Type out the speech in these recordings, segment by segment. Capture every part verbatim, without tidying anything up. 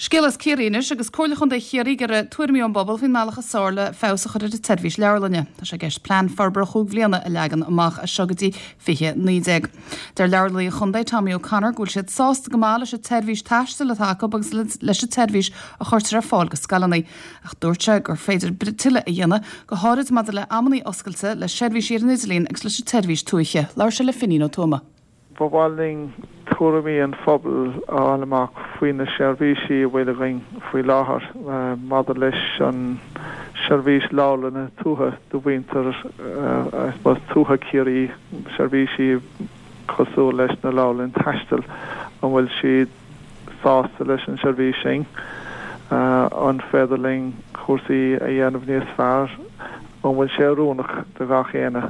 Scéal as Ciarraí anois agus Comhairle Chontae Chiarraí ag iarraidh tuairimí ón bpobal faoin mbealach is fearr le feabhas a chur ar an tseirbhís leabharlainne. Tá sé i gceist plean forbartha chúig bhliana a leagan amach as seo go dtí fiche naoi déag. Deir leabharlannaí an chontae Tommy O'Connor go bhfuil siad sásta go maith leis an tseirbhís taistil atá acu agus leis an tseirbhís a chuirtear ar fáil go scoileanna. Ach dúirt sé gur féidir tuilleadh a dhéanamh go háirid maidir le amanna oscailte le seirbhísí ar an idirlíon agus leis an tseirbhís tuaithe. Labhair sé le Finín Ó Tuama. Ba mhaith linn tuairimí an phobail a fháil amach faoi na seirbhísí a bhfuil againn faoi láthair maidir leis an seirbhís leabharlanna tuaithe do mhuintir tuaithe Chiarraí seirbhísí cosúil leis na leabharlann taistil an bhfuil siad sásta leis an seirbhís sin an féidir linn cúrsaí a dhéanamh níos fearr an bhfuil sé oiriúnach do gach éinne.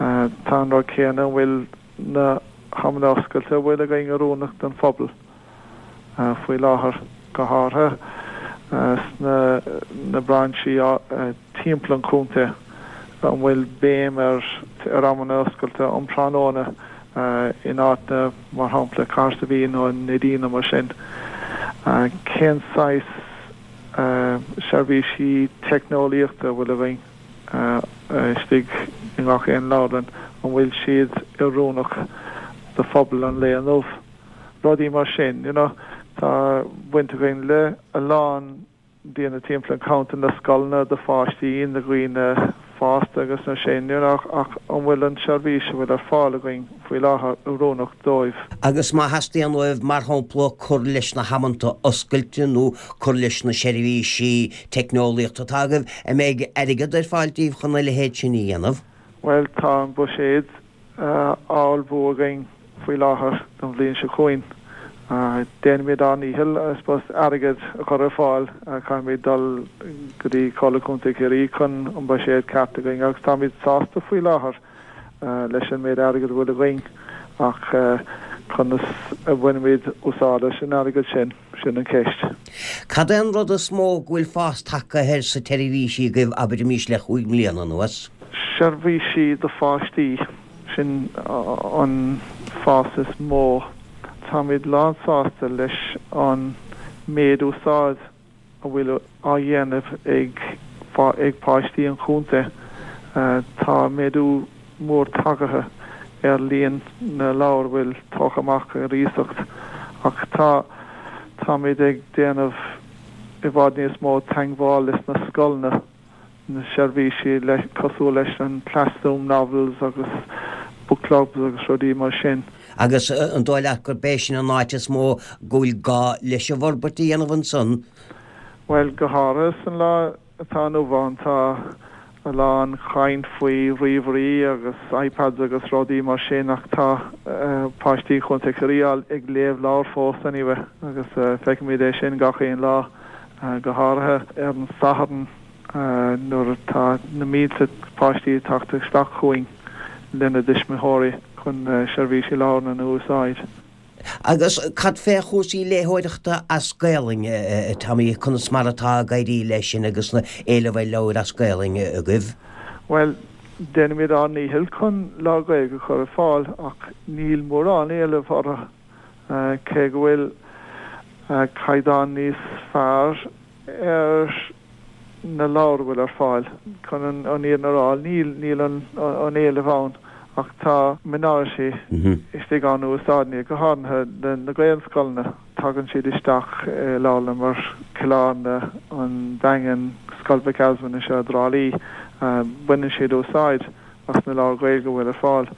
Tá an rud céanna an bhfuil na hamanna oscailte bhfuil againn oiriúnach don phobal faoi láthair go háirithe sna na brainsí timpeall an chontae an bhfuil béim ar ar amanna oscailte um tráthnóna in áit mar shampla Cahersiveen nó Neidín mar sin. Cén saghas seirbhísí teicneolaíochta bhfuil againn istigh i ngach aon leabharlann an bhfuil siad oiriúnach do phobal an lae inniu. Rudaí mar sin, you know, tá baint againn le a lán daoine timpeall an chontae na scoileanna do pháistí na daoine fásta agus na sin ach ach an bhfuil an seirbhís a bhfuil ar fáil againn faoi láthair oiriúnach dóibh. Agus má theastaíonn uaibh mar shampla cur leis na hamanta oscailte nó cur leis na seirbhísí teicneolaíochta atá agaibh an mbeidh airgead ar fáil daoibh chun a leithéid sin a dhéanamh. Well tá an buiséad á ullmhú againn faoi láthair don bhliain seo chugainn. Déanaimid ár ndícheall suppose airgead a chur ar fáil caithfimid dul go dtí Comhairle Contae Chiarraí chun an buiséad ceart againn agus táimid sásta faoi láthair leis an méid airgead bhfuil againn ach conas a bhainimid úsáid as an airgead sin sin an ceist. Cad é an rud is mó go bhfuil fás tagtha air sa tseirbhís agaibh abraimis le cúig mbliana anuas. Seirbhísí do pháistí sin an fás is mó táimid lánsásta leis an méid úsáid a bhfuil á dhéanamh ag ag páistí an chontae. Tá méadú mór tagtha ar líon na leabhar bhfuil tógtha amach ar iasacht ach tá táimid ag déanamh i bhfad níos mó teagmháil leis na scoileanna na seirbhísí le cosúil leis an classroom novels agus book clubs agus rudaí mar sin. Agus an dóigh leat gurb é sin an áit is mó go bhfuil gá leis an bhforbairt a dhéanamh ansan. Well go háirithe san lá atá inniu ann tá a lán caint faoi ríomhairí agus iPads agus rudaí mar sin ach tá páistí Chontae Chiarraí ag léamh leabhar fós anyway agus feicimid é sin gach aon lá go háirithe ar an Satharn nuair atá na mílte páistí teacht isteach chugainn lena dtuismitheoirí chun seirbhísí leabharlann a úsáid. Agus cad fé chúrsaí léitheoireachta as Gaelainn Tommy conas mar atá ag éirí leis sin agus na éileamh ar leabhair as Gaelainn agaibh? Well, déanaimid ár ndícheall chun leabhair Gaeilge a chur ar fáil ach níl mórán éileamh orthu cé go bhfuil caighdeán níos fearr ar na leabhair bhfuil ar fáil chun an fhírinne a rá níl níl an an éileamh ann ach tá minority istigh ann úsáideann go háirithe na Gaelscoileanna tagann siad isteach leabharlann mar Cill Airne an Daingean Scoil Mhic Easmainn anseo i dTrá Lí baineann siad úsáid as na leabhair Gaeilge bhfuil ar fáil.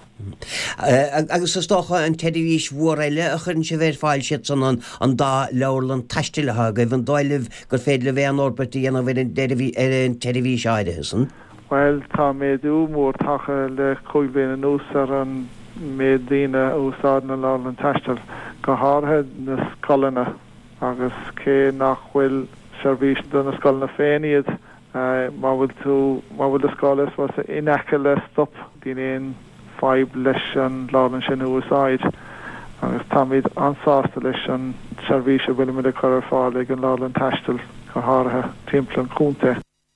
Agus is dócha an tseirbhís mhór eile a chuireann sibh ar fáil siad san an an dá leabharlann taistil atá agaibh an dóigh libh gur féidir libh aon fhorbairt a dhéanamh ar an ar an tseirbhís áirithe san. Well tá méadú mór tagtha le cúig bliana anuas ar an méid daoine a úsáideann an leabharlann taistil, go háirithe na scoileanna agus cé nach bhfuil seirbhís do na scoileanna féin iad má bhfuil tú má bhfuil do scoil is in aice le stop níl aon fadhb leis an leabharlann sin a úsáid agus táimid an-sásta leis an seirbhís a bhfuilimid ag cur ar fáil ag an leabharlann taistil go háirithe timpeall an chontae.